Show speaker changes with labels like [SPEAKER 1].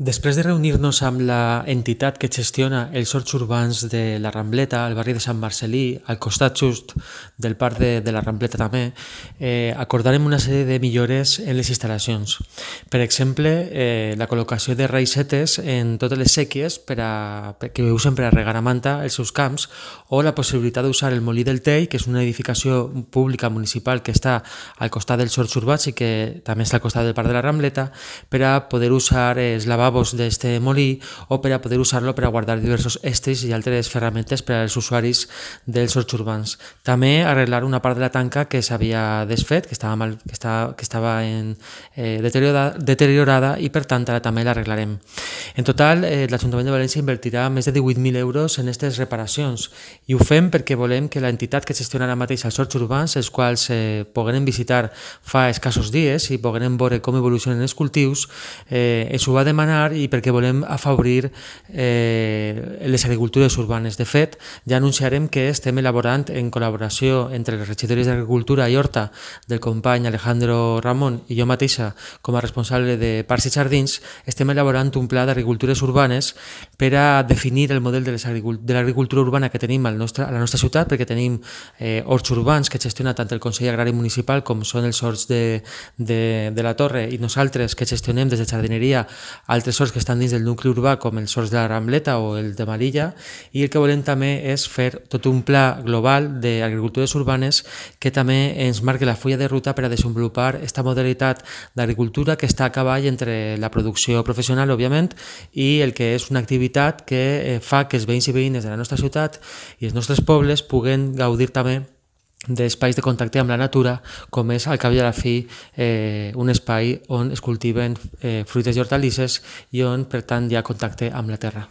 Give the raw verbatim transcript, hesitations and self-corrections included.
[SPEAKER 1] Després de reunir-nos amb la entitat que gestiona els horts urbans de la Rambleta, al barri de Sant Marcel·lí, al costat just del parc de, de la Rambleta també, eh, acordarem una sèrie de millores en les instal·lacions. Per exemple, eh, la col·locació de raïsetes en totes les sèquies per a, per, que usen per a regar a manta els seus camps, o la possibilitat d'usar el Molí del Tell, que és una edificació pública municipal que està al costat dels horts urbans i que també està al costat del parc de la Rambleta, per a poder usar els lavabos d'este molí o per a poder usar-lo per a guardar diversos estris i altres ferramentes per als usuaris dels horts urbans. També arreglar una part de la tanca que s'havia desfet, que estava, mal, que estava, que estava en, eh, deteriorada, deteriorada i per tant ara també l'arreglarem. En total, eh, l'Ajuntament de València invertirà més de divuit mil euros en aquestes reparacions i ho fem perquè volem que l'entitat que gestiona ara mateix els horts urbans, els quals eh, pogueren visitar fa escassos dies i pogueren veure com evolucionen els cultius, eh, ens ho va demanar i perquè volem afavorir eh, les agricultures urbanes. De fet, ja anunciarem que estem elaborant en col·laboració entre les regidories d'Agricultura i Horta del company Alejandro Ramon i jo mateixa com a responsable de Parcs i Jardins, estem elaborant un pla d'agricultures urbanes per a definir el model de l'agricultura urbana que tenim al nostre, a la nostra ciutat, perquè tenim eh, horts urbans que gestiona tant el Consell Agrari Municipal com són els horts de, de, de la Torre i nosaltres que gestionem des de jardineria altres horts que estan dins del nucli urbà com els horts de la Rambleta o el de Marilla, i el que volem també és fer tot un pla global d'agricultures urbanes que també ens marqui la fulla de ruta per a desenvolupar aquesta modalitat d'agricultura que està a cavall entre la producció professional, òbviament, i el que és una activitat que fa que els veïns i veïnes de la nostra ciutat i els nostres pobles puguen gaudir també d'espais de contacte amb la natura, com és al cap i a la fi eh, un espai on es cultiven eh, fruites i hortalisses i on per tant hi ha contacte amb la terra.